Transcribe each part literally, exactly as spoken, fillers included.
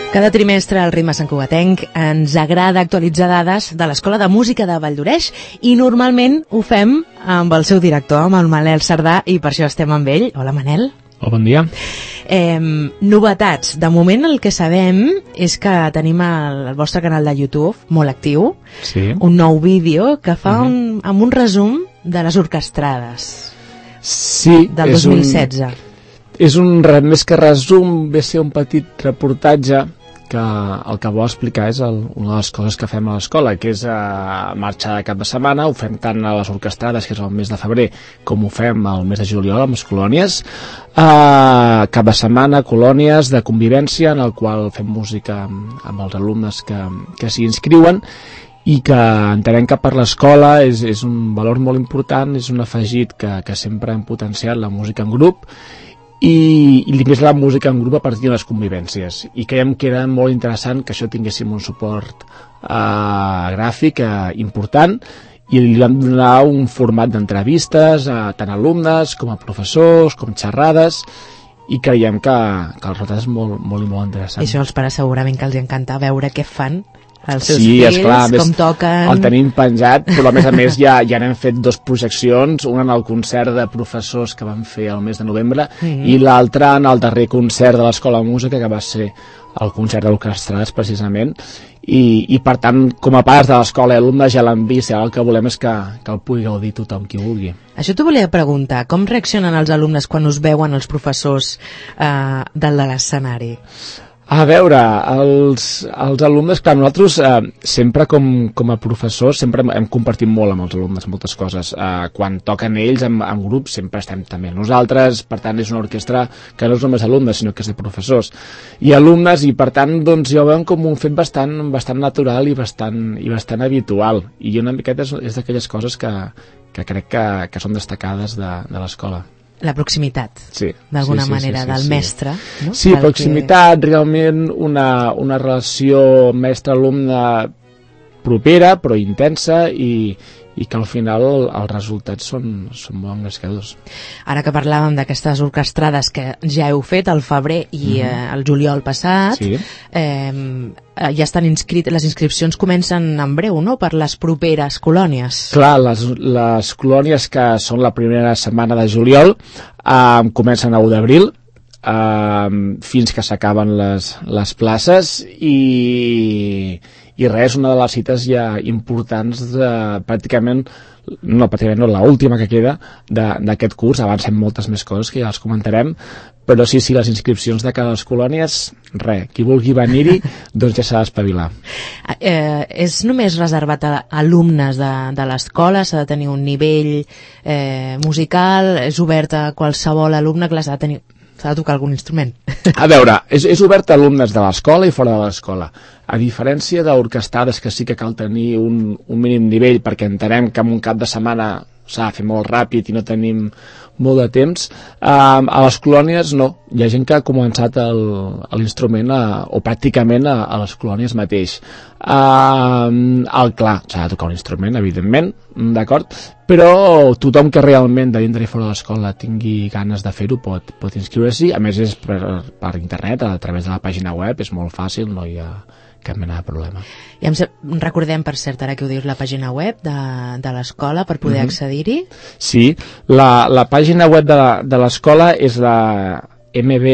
Cada trimestre al Ritme Santcugatenc ens agrada actualitzar dades de l'Escola de Música de Valldoreix i normalment ho fem amb el seu director, amb el Manel Cerdà, i per això estem amb ell. Hola, Manel. Hola, bon dia. Eh, novetats. De moment el que sabem és que tenim el, el vostre canal de YouTube molt actiu, sí. Un nou vídeo que fa uh -huh. un, amb un resum de les orquestrades sí, del dos mil setze. Un, és un, més que resum, ve ser un petit reportatge que el que vol explicar és el, una de les coses que fem a l'escola, que és uh, marxar de cap de setmana. Ho fem tant a les orquestrades, que és el mes de febrer, com ho fem al mes de juliol amb les colònies. Uh, cap de setmana, colònies de convivència, en el qual fem música amb, amb els alumnes que, que s'hi inscriuen, i que entenem que per l'escola és, és un valor molt important, és un afegit que, que sempre hem potenciat, la música en grup, i, i més la música en grup a partir de les convivències, i creiem que era molt interessant que això tinguéssim un suport eh, gràfic eh, important, i li vam donar un format d'entrevistes a tant alumnes com a professors, com xerrades, i creiem que, que el resultat és molt, molt i molt interessant. I això els pares segurament que els encanta veure què fan els seus sí, fills, esclar, com toquen... El tenim penjat, però a més a més ja, ja n'hem fet dos projeccions, una en el concert de professors que vam fer el mes de novembre, mm-hmm. i l'altra en el darrer concert de l'Escola de Música, que va ser el concert d'orquestrades precisament, i, i per tant, com a pares de l'escola i alumnes ja l'han vist, i ara el que volem és que, que el pugui gaudir tothom qui vulgui. Això t'ho volia preguntar, com reaccionen els alumnes quan us veuen els professors eh, del de l'escenari? A veure, els, els alumnes, clar, nosaltres eh, sempre com, com a professors sempre hem compartit molt amb els alumnes moltes coses. Eh, quan toquen ells en, en grup sempre estem també nosaltres, per tant és una orquestra que no és només alumnes sinó que és de professors i alumnes, i per tant doncs ja ho veuen com un fet bastant, bastant natural i bastant, i bastant habitual, i una miqueta és, és d'aquelles coses que, que crec que, que són destacades de, de l'escola. La proximitat, sí, d'alguna sí, sí, manera, sí, sí, del sí. mestre. No? Sí, del proximitat, que... realment una, una relació mestre-alumne propera, però intensa, i, i que al final els resultats són, són molt engrescadors. Ara que parlàvem d'aquestes orquestrades que ja heu fet al febrer i mm-hmm. eh, el juliol passat, sí. eh, ja estan inscrits, les inscripcions comencen en breu, no?, per les properes colònies. Clar, les, les colònies que són la primera setmana de juliol eh, comencen a u d'abril, eh, fins que s'acaben les, les places, i... i res, una de les cites ja importants de, pràcticament, no, pràcticament no, l'última que queda d'aquest curs. Avancem moltes més coses que ja els comentarem, però sí, sí, les inscripcions de cada les colònies, res, qui vulgui venir-hi, doncs ja s'ha d'espavilar. Eh, és només reservat a alumnes de, de l'escola, s'ha de tenir un nivell eh, musical, és obert a qualsevol alumne que l'ha de tenir... s'ha de tocar algun instrument. A veure, és, és obert a alumnes de l'escola i fora de l'escola. A diferència d'orquestrades, que sí que cal tenir un, un mínim nivell, perquè entenem que en un cap de setmana s'ha de fer molt ràpid i no tenim molt de temps, eh, a les colònies no. Hi ha gent que ha començat l'instrument o pràcticament a, a les colònies mateix. Eh, el clar, s'ha de tocar un instrument, evidentment, d'acord? Però tothom que realment de dintre i fora de l'escola tingui ganes de fer-ho pot, pot inscriure-s'hi. A més és per, per internet, a través de la pàgina web, és molt fàcil, no hi ha cap mena de problema. I em recordem, per cert, ara que ho dius, la pàgina web de, de l'escola per poder mm-hmm. accedir-hi? Sí, la, la pàgina web de, de l'escola és la m b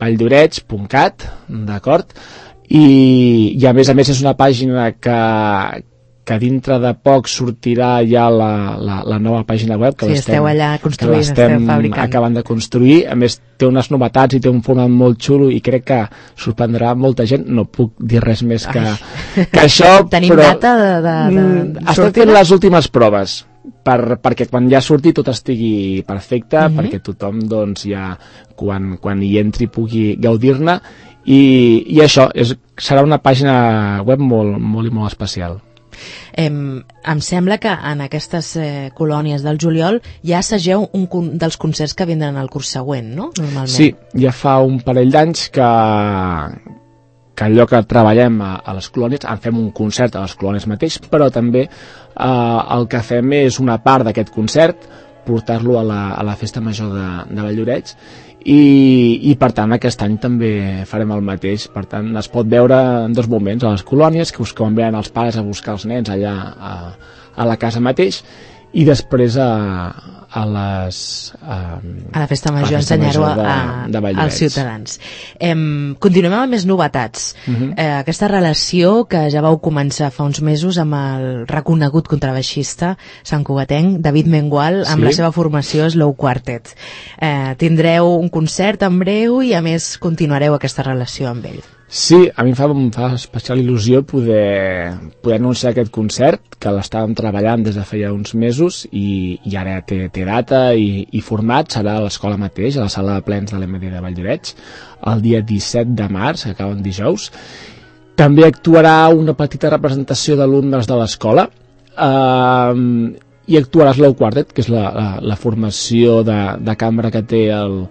valldoreix punt cat, d'acord? I, i a més a més és una pàgina que, que dintre de poc sortirà ja la, la, la nova pàgina web que sí, l'estem, allà que l'estem acabant de construir. A més té unes novetats i té un format molt xulo i crec que sorprendrà molta gent. No puc dir res més que, que això. Tenim però, data de, de, de, de estem fent les últimes proves per, perquè quan ja surti tot estigui perfecte, mm-hmm. perquè tothom doncs, ja quan, quan hi entri pugui gaudir-ne, i, i això és, serà una pàgina web molt, molt i molt especial. Eh, em sembla que en aquestes eh, colònies del juliol ja assageu un con dels concerts que vindran al curs següent, no? Normalment. Sí, ja fa un parell d'anys que, que allò que treballem a, a les colònies, en fem un concert a les colònies mateix, però també eh, el que fem és una part d'aquest concert, portar-lo a, la, a la festa major de, de Valldoreix, i, i per tant aquest any també farem el mateix. Per tant es pot veure en dos moments, a les colònies, que us quan venen els pares a buscar els nens allà a, a la casa mateix, i després a, a les a, a la festa major ensenyar-ho als ciutadans. Em, continuem amb més novetats. Uh-huh. eh, aquesta relació que ja vau començar fa uns mesos amb el reconegut contrabaixista santcugatenc David Mengual, amb sí. la seva formació Slow Quartet. Eh, tindreu un concert en breu i a més continuareu aquesta relació amb ell. Sí, a mi em fa, em fa especial il·lusió poder, poder anunciar aquest concert, que l'estàvem treballant des de feia uns mesos i, i ara té, té data i, i format. Serà a l'escola mateix, a la sala de plens de l'M D de Valldoreix, el dia disset de març, que acaba en dijous. També actuarà una petita representació d'alumnes de l'escola, eh, i actuarà Slow Quartet, que és la, la, la formació de, de cambra que té el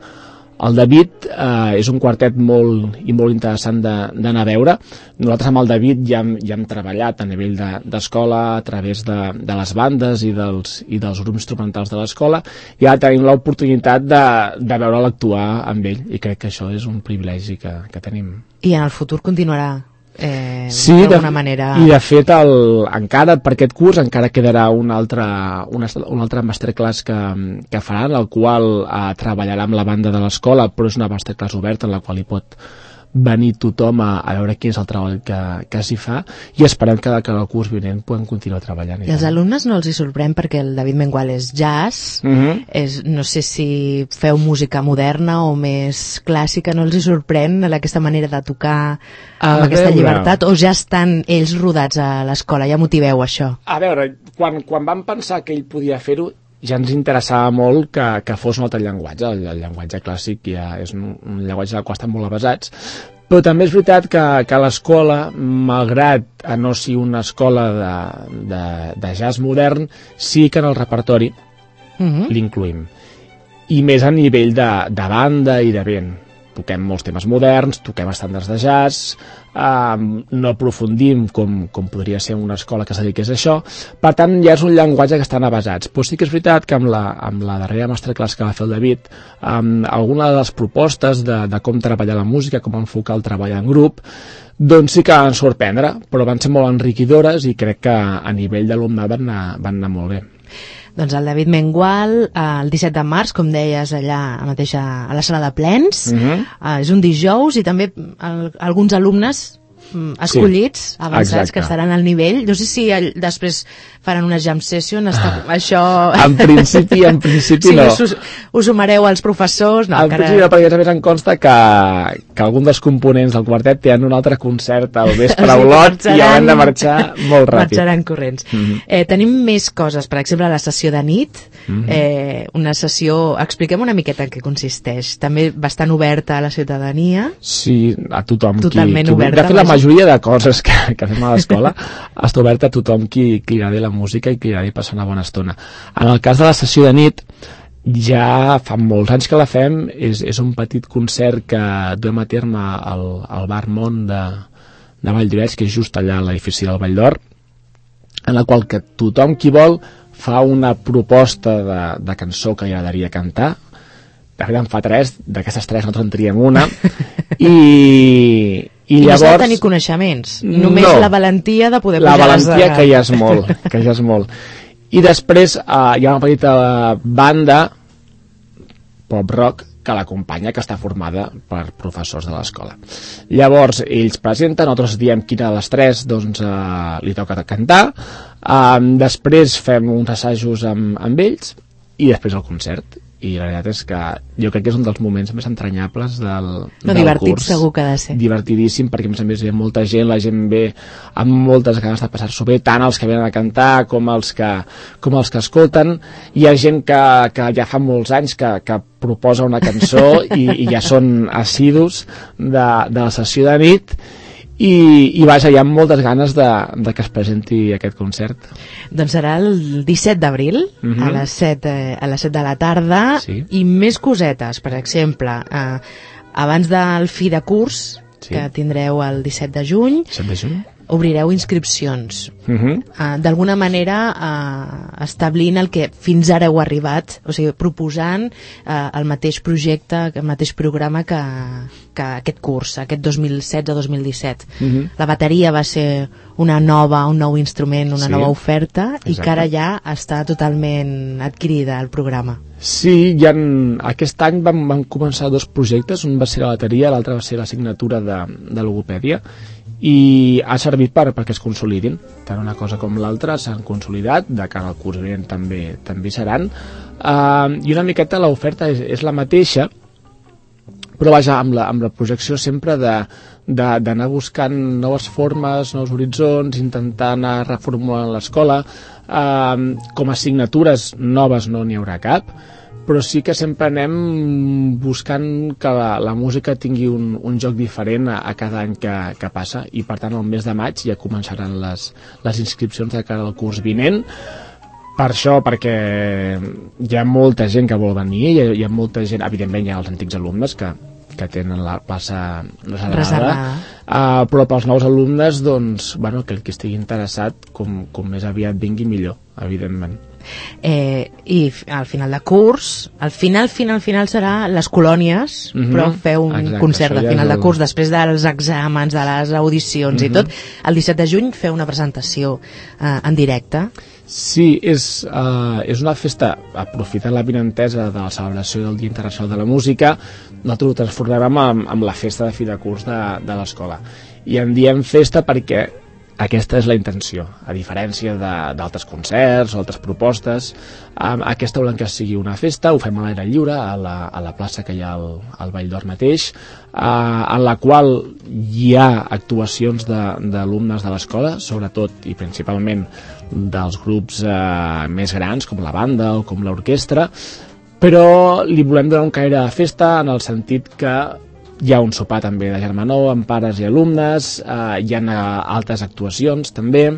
El David. Eh, és un quartet molt i molt interessant d'anar a veure. Nosaltres amb el David ja hem, ja hem treballat a nivell d'escola de, a través de, de les bandes i dels, i dels grups instrumentals de l'escola, i ara tenim l'oportunitat de, de veure'l actuar amb ell, i crec que això és un privilegi que, que tenim. I en el futur continuarà eh, sí, d'alguna manera... i de fet el, encara per aquest curs encara quedarà un altre, una, un altre masterclass que, que faran, el qual eh, treballarà amb la banda de l'escola, però és una masterclass oberta en la qual hi pot venir tothom a, a veure quin és el treball que, que s'hi fa, i esperem que, que el curs vinent puguem continuar treballant. I els alumnes no els hi sorprèn perquè el David Mengual és jazz, uh-huh. és, no sé si feu música moderna o més clàssica, no els hi sorprèn aquesta manera de tocar amb a aquesta veure. llibertat, o ja estan ells rodats a l'escola, ja motiveu això? A veure, quan, quan vam pensar que ell podia fer-ho, ja ens interessava molt que, que fos un altre llenguatge. El, el llenguatge clàssic ja és un, un llenguatge al qual estan molt avasats, però també és veritat que, que l'escola, malgrat a no ser una escola de, de, de jazz modern, sí que en el repertori uh-huh. l'incluïm, i més a nivell de, de banda i de vent. Toquem molts temes moderns, toquem estàndards de jazz, eh, no aprofundim com, com podria ser una escola que es dediqués a això. Per tant, ja és un llenguatge que estan avasats. Però sí que és veritat que amb la, amb la darrera masterclass que va fer el David, amb alguna de les propostes de, de com treballar la música, com enfocar el treball en grup, doncs sí que van sorprendre, però van ser molt enriquidores i crec que a nivell d'alumnat van anar, van anar molt bé. Doncs el David Mengual, el disset de març, com deies, allà mateix a la sala de plens, uh-huh. uh, és un dijous, i també el, alguns alumnes escollits, sí, avançats, exacte. Que estaran al nivell. No sé si el, després faran una jam session, està, ah, això... En principi, en principi sí, no. Us, us ho mareu als professors? No, en encara... principi no, perquè a més em consta que, que algun dels components del quartet tenen un altre concert al vespre a Olot, sí, i hauran de marxar molt ràpid. Marxaran corrents. Mm-hmm. eh, tenim més coses, per exemple, la sessió de nit, mm-hmm. eh, una sessió... Expliquem una miqueta en què consisteix. També bastant oberta a la ciutadania. Sí, a tothom. Totalment qui, qui... oberta. De fet, la majoria de coses que, que fem a l'escola està oberta a tothom qui, qui agradi la música i qui agradi passar una bona estona. En el cas de la sessió de nit, ja fa molts anys que la fem, és, és un petit concert que duem a terme al, al bar Mont de, de Valldoreix, que és just allà a l'edifici del Vall d'Or, en la qual que tothom qui vol fa una proposta de, de cançó que li agradaria cantar. De fet, en fa tres, d'aquestes tres nosaltres en triem una, i, i, I llavors... no s'ha de tenir coneixements, només no, la valentia de poder la pujar valentia les... que ja és molt, que ja és molt. I després eh, hi ha una petita banda pop-rock que l'acompanya, que està formada per professors de l'escola. Llavors, ells presenten, nosaltres diem quina de les tres doncs, eh, li toca cantar, eh, després fem uns assajos amb, amb ells, i després el concert. I la veritat és que jo crec que és un dels moments més entranyables del, no, del divertit curs. Segur que ha de ser. Divertidíssim, perquè a més a més hi ha molta gent, la gent ve amb moltes ganes de passar-s'ho bé, tant els que venen a cantar com els que, com els que escolten. Hi ha gent que, que ja fa molts anys que, que proposa una cançó i, i ja són assidus de, de la sessió de nit. I, i vaja, hi ha moltes ganes de, de que es presenti aquest concert. Doncs serà el disset d'abril, uh-huh. a les set, eh, a les set de la tarda, sí. I més cosetes, per exemple, eh, abans del fi de curs, sí. Que tindreu el disset de juny, disset de juny? obrireu inscripcions. Uh-huh. Uh, d'alguna manera uh, establint el que fins ara heu arribat, o sigui, proposant uh, el mateix projecte, el mateix programa que, que aquest curs, aquest dos mil setze dos mil disset. Uh-huh. La bateria va ser una nova, un nou instrument, una sí, nova oferta, exacte. I que ara ja està totalment adquirida el programa. Sí, ja en, aquest any vam, vam començar dos projectes, un va ser la bateria, l'altre va ser l'assignatura de, de logopèdia, i ha servit per, perquè es consolidin. Tant una cosa com l'altra s'han consolidat, de cara al curs vinent també, també seran, uh, i una miqueta l'oferta és, és la mateixa, però vaja, amb la, amb la projecció sempre de d'anar buscant noves formes, nous horitzons, intentar anar reformulant l'escola. Uh, com a assignatures noves no n'hi haurà cap, però sí que sempre anem buscant que la, la música tingui un, un joc diferent a, a cada any que, que passa, i per tant el mes de maig ja començaran les, les inscripcions de cara al curs vinent. Per això, perquè hi ha molta gent que vol venir, hi ha, hi ha molta gent, evidentment hi ha els antics alumnes que, que tenen la plaça reservada, reservada. Uh, però pels nous alumnes, doncs, bueno, que el que estigui interessat, com, com més aviat vingui millor, evidentment. Eh, I al final de curs, al final, final, final serà les colònies, mm-hmm. però feu un Exacte, concert de final de curs, després dels exàmens, de les audicions mm-hmm. i tot. El disset de juny feu una presentació eh, en directe. Sí, és, uh, és una festa, aprofitant la vinentesa de la celebració del Dia Internacional de la Música, nosaltres ho transformem amb, amb la festa de fi de curs de, de l'escola. I en diem festa perquè aquesta és la intenció, a diferència d'altres concerts o altres propostes. Um, aquesta volem que sigui una festa, ho fem a l'aire lliure, a la, a la plaça que hi ha al, al Vall d'Or mateix, uh, en la qual hi ha actuacions d'alumnes de, de l'escola, sobretot i principalment dels grups uh, més grans, com la banda o com l'orquestra, però li volem donar un caire de festa en el sentit que hi ha un sopar també de germanor amb pares i alumnes, eh, hi ha uh, altres actuacions també,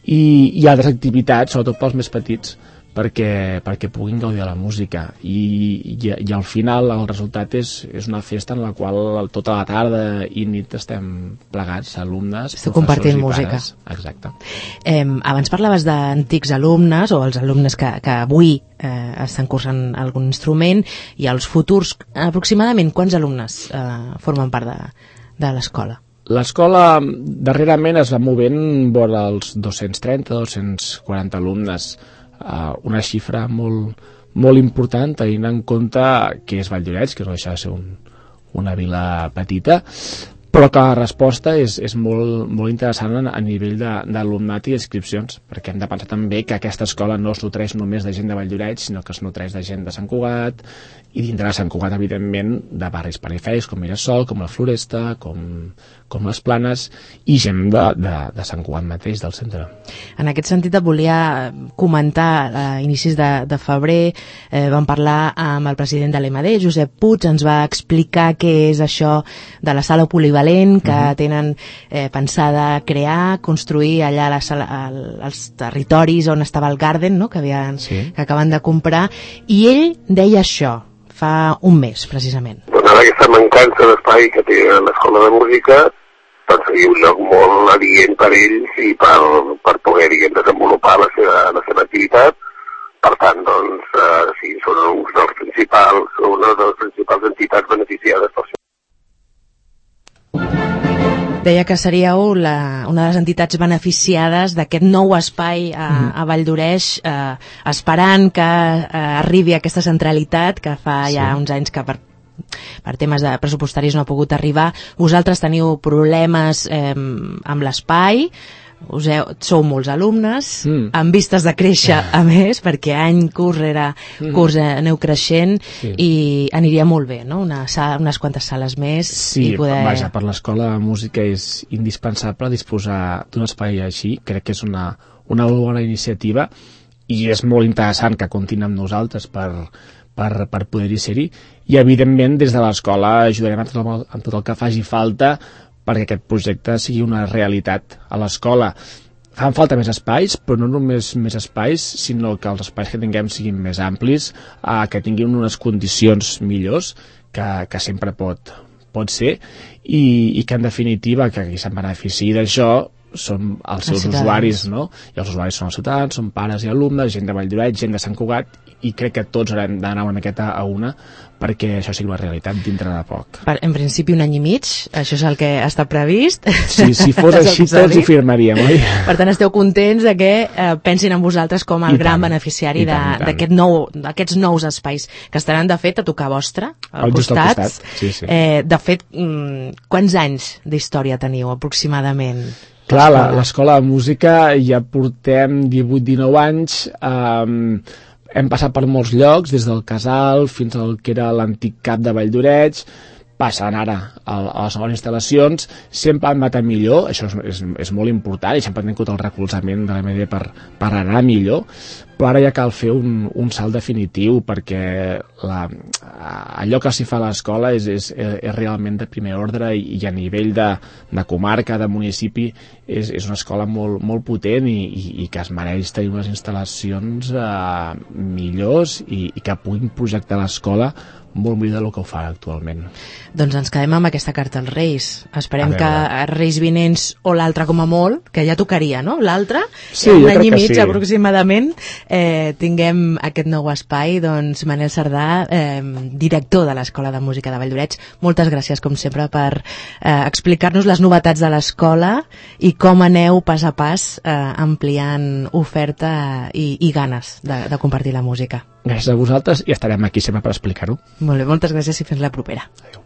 i, i altres activitats, sobretot pels més petits, perquè, perquè puguin gaudir de la música. I, i, i al final el resultat és, és una festa en la qual tota la tarda i nit estem plegats, alumnes, Esteu compartint música. Pares. Exacte. Eh, abans parlaves d'antics alumnes o els alumnes que, que avui eh, estan cursant algun instrument, i els futurs. Aproximadament quants alumnes eh, formen part de, de l'escola? L'escola darrerament es va movent vora els dos-cents trenta a dos-cents quaranta alumnes, uh, una xifra molt, molt important tenint en compte que és Valldoreix, que no deixa de ser un, una vila petita, però que la resposta és, és molt, molt interessant a nivell d'alumnat i inscripcions, perquè hem de pensar també que aquesta escola no es nutreix només de gent de Valldoreix, sinó que es nutreix de gent de Sant Cugat, i dintre de Sant Cugat, evidentment, de barris perifèrics com Mirasol, com la Floresta, com, com les Planes, i gent de, de, de Sant Cugat mateix, del centre. En aquest sentit et volia comentar, a inicis de, de febrer eh, vam parlar amb el president de l'E M D, Josep Puig, ens va explicar què és això de la sala polivalent que uh-huh. tenen eh, pensada crear, construir allà la sala, el, els territoris on estava el Garden, no? que, havien, sí. que acaben de comprar, i ell deia això fa un mes, precisament. Donant aquesta mancança d'espai que té l'escola de música, doncs seria un lloc molt adient per ells i per, per poder, diguem, desenvolupar la seva, la seva activitat. Per tant, doncs, eh, sí, són uns dels principals, una de les principals entitats beneficiades per això. Deia que seríeu la, una de les entitats beneficiades d'aquest nou espai a, a Valldoreix, eh, esperant que eh, arribi aquesta centralitat que fa sí. ja uns anys que per, per temes de pressupostaris no ha pogut arribar. Vosaltres teniu problemes eh, amb l'espai, us heu, sou molts alumnes, mm. amb vistes de créixer a més, perquè any, curs rere curs mm. aneu creixent, sí. i aniria molt bé, no? Una sala, unes quantes sales més. Sí, i poder... vaja, per l'escola de música és indispensable disposar d'un espai així, crec que és una, una bona iniciativa, i és molt interessant que comptin amb nosaltres per, per, per poder-hi ser-hi, i evidentment des de l'escola ajudarem a tot, el, a tot el que faci falta perquè aquest projecte sigui una realitat a l'escola. Fan falta més espais, però no només més espais, sinó que els espais que tinguem siguin més amplis, eh, que tinguin unes condicions millors, que, que sempre pot, pot ser, i, i que en definitiva, que qui se'n benefici d'això són els seus els usuaris, no? I els usuaris són els ciutadans, són pares i alumnes, gent de Valldoreix, gent de Sant Cugat, i crec que tots haurem d'anar una miqueta a una perquè això sigui una realitat dintre de poc. Per, en principi un any i mig, això és el que està previst. Sí, si fos així tots ho firmaríem, oi? Per tant, esteu contents de que eh, pensin en vosaltres com el I gran tant, beneficiari d'aquest nou, d'aquests nous espais que estaran, de fet, a tocar vostre, al costat. Al costat. Sí, sí. Eh, de fet, quants anys d'història teniu, aproximadament? Clar, l'escola de música ja portem divuit dinou anys, eh, hem passat per molts llocs, des del Casal fins al que era l'antic cap de Valldoreix, passant ara a, a les noves instal·lacions, sempre han anat a millor, això és, és, és molt important, i sempre han tingut el recolzament de l'A M D per, per anar millor, però ara ja cal fer un, un salt definitiu, perquè la, allò que s'hi fa a l'escola és, és, és realment de primer ordre, i, i a nivell de, de comarca, de municipi, és, és una escola molt, molt potent i, i, i que es mereix tenir unes instal·lacions eh, millors i, i que puguin projectar l'escola molt millor del que ho fa actualment. Doncs ens quedem amb aquesta carta als Reis. Esperem que els Reis vinents, o l'altre com a molt, que ja tocaria, no? L'altre, sí, un any i mig sí. aproximadament, eh, tinguem aquest nou espai. Doncs Manel Cerdà, eh, director de l'Escola de Música de Valldoreix, moltes gràcies com sempre per eh, explicar-nos les novetats de l'escola i com aneu pas a pas eh, ampliant oferta i, i ganes de, de compartir la música. Gràcies a vosaltres i estarem aquí sempre per explicar-ho. Molt bé, moltes gràcies i fins la propera. Adéu.